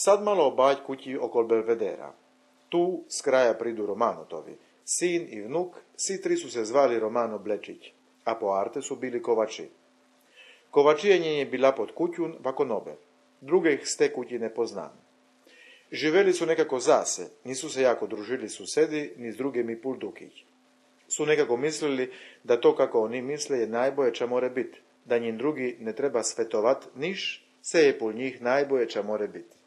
Sad malo obać kući okol Belvedera. Tu s kraja pridu Romanotovi. Sin i vnuk, svi tri su se zvali Romano Blečić, a po arte su bili kovači. Kovačijenje je bila pod kućun vako nobe. Druge ih ste kući ne poznam. Živeli su nekako zase, nisu se jako družili susedi, ni s drugimi puldukić. Su nekako mislili da to kako oni misle je najboje ča more bit, da njim drugi ne treba svetovat niš, se je pol njih najboje ča more bit.